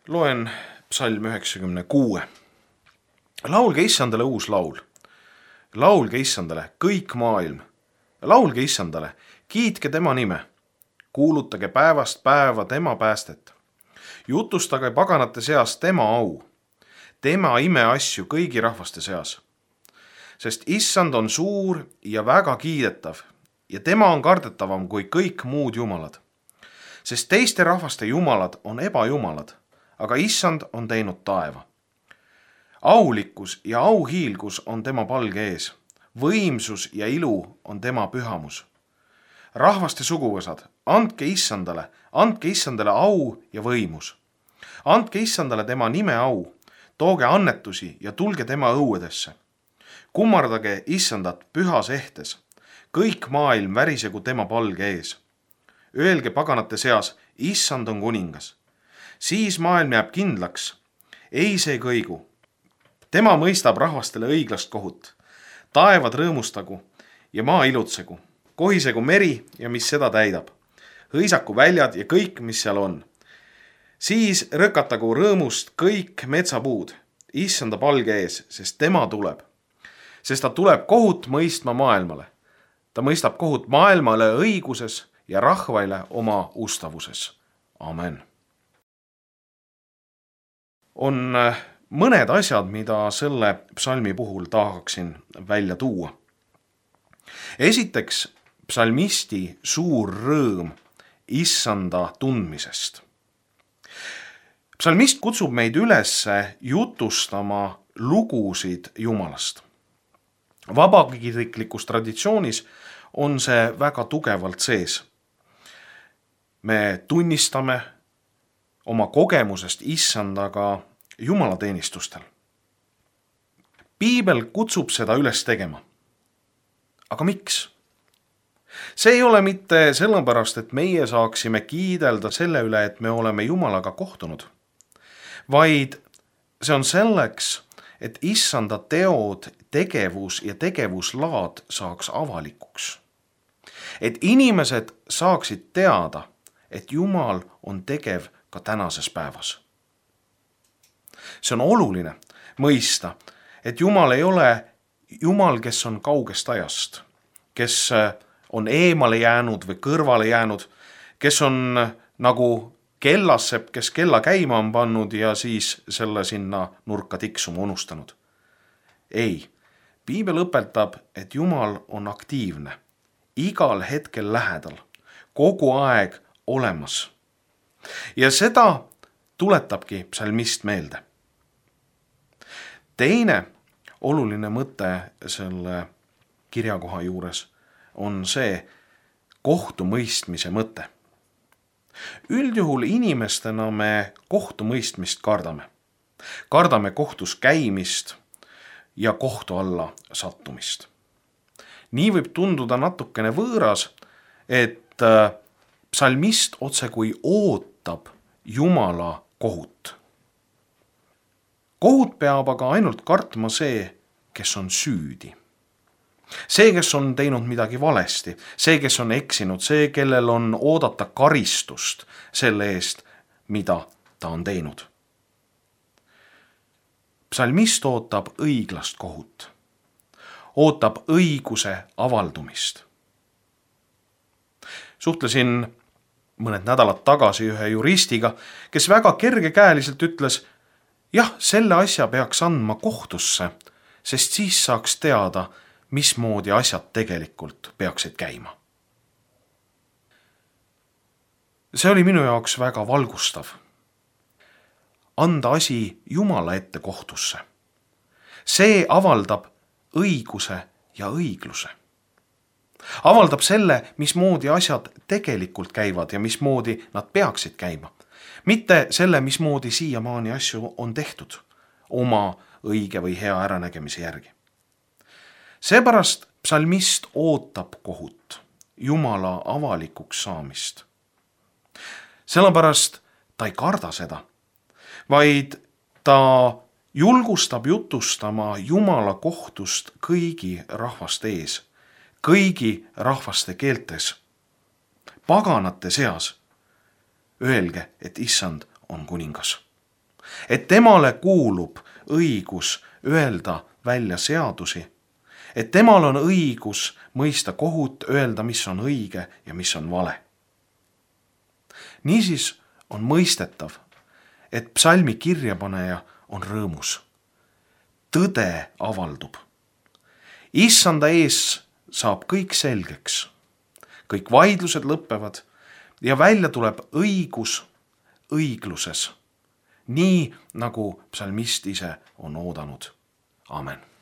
Loen psalm 96. Laulge Issandale uus laul. Laulge Issandale kõik maailm. Laulge Issandale, kiitke tema nime. Kuulutage päevast päeva tema päästet. Jutustage paganate seas tema au. Tema imeasju kõigi rahvaste seas. Sest Issand on suur ja väga kiidetav ja tema on kardetavam kui kõik muud jumalad. Sest teiste rahvaste jumalad on ebajumalad, aga Issand on teinud taeva. Aulikkus ja auhiilgus on tema palge ees. Võimsus ja ilu on tema pühamus. Rahvaste suguvõsad, andke Issandale au ja võimus. Andke Issandale tema nime au, tooge annetusi ja tulge tema õuedesse. Kummardage Issandat pühas ehtes, kõik maailm värisegu tema palge ees. Öelge paganate seas, Issand on kuningas. Siis maailm jääb kindlaks, ei see kõigu. Tema mõistab rahvastele õiglast kohut. Taevad rõõmustagu ja maa ilutsegu. Kohisegu meri ja mis seda täidab. Hõisaku väljad ja kõik, mis seal on. Siis rõkatagu rõõmust kõik metsapuud, Issanda palge ees, sest tema tuleb. Sest ta tuleb kohut mõistma maailmale. Ta mõistab kohut maailmale õiguses ja rahvaile oma ustavuses. Amen. On mõned asjad, mida selle psalmi puhul tahaksin välja tuua. Esiteks, psalmisti suur rõõm Issanda tundmisest. Psalmist kutsub meid üles jutustama lugusid Jumalast. Vabakiriklikus traditsioonis on see väga tugevalt sees. Me tunnistame oma kogemusest Issandaga jumalateenistustel. Piibel kutsub seda üles tegema. Aga miks? See ei ole mitte sellepärast, et meie saaksime kiidelda selle üle, et me oleme Jumalaga kohtunud, vaid see on selleks, et Issanda teod, tegevus ja tegevuslaad saaks avalikuks. Et inimesed saaksid teada, et Jumal on tegev ka tänases päevas. See on oluline mõista, et Jumal ei ole Jumal, kes on kaugest ajast, kes on eemale jäänud või kõrvale jäänud, kes on nagu kellassepp, kes kella käima on pannud ja siis selle sinna nurka tiksuma unustanud. Ei, Piibel õpetab, et Jumal on aktiivne, igal hetkel lähedal, kogu aeg olemas. Ja seda tuletabki psalmist meelde. Teine oluline mõte selle kirjakoha juures on see kohtumõistmise mõte. Üldjuhul inimestena me kohtumõistmist kardame. Kardame kohtus käimist ja kohtu alla sattumist. Nii võib tunduda natukene võõras, et psalmist otsekui ootab Jumala kohut. Kohut peab aga ainult kartma see, kes on süüdi. See, kes on teinud midagi valesti, see, kes on eksinud, see, kellel on oodata karistust selle eest, mida ta on teinud. Psalmist ootab õiglast kohut. Ootab õiguse avaldumist. Suhtlesin mõned nädalad tagasi ühe juristiga, kes väga kergekäeliselt ütles, jah, selle asja peaks andma kohtusse, sest siis saaks teada, mismoodi asjad tegelikult peaksid käima. See oli minu jaoks väga valgustav. Anda asi Jumala ette kohtusse. See avaldab õiguse ja õigluse. Avaldab selle, mismoodi asjad tegelikult käivad ja mismoodi nad peaksid käima. Mitte selle, mismoodi siiamaani asju on tehtud oma õige või hea äranägemise järgi. Seepärast psalmist ootab kohut, Jumala avalikuks saamist. Sellepärast ta ei karda seda, vaid ta julgustab jutustama Jumala kohtust kõigi rahvaste ees, kõigi rahvaste keeltes, paganate seas. Öelge, et Issand on kuningas. et temale kuulub õigus öelda välja seadusi, et temal on õigus mõista kohut, öelda, mis on õige ja mis on vale. Niisiis on mõistetav, et psalmi kirjapaneja on rõõmus. Tõde avaldub. Issanda ees saab kõik selgeks. Kõik vaidlused lõpevad ja välja tuleb õigus õigluses. Nii nagu psalmist ise on oodanud. Amen.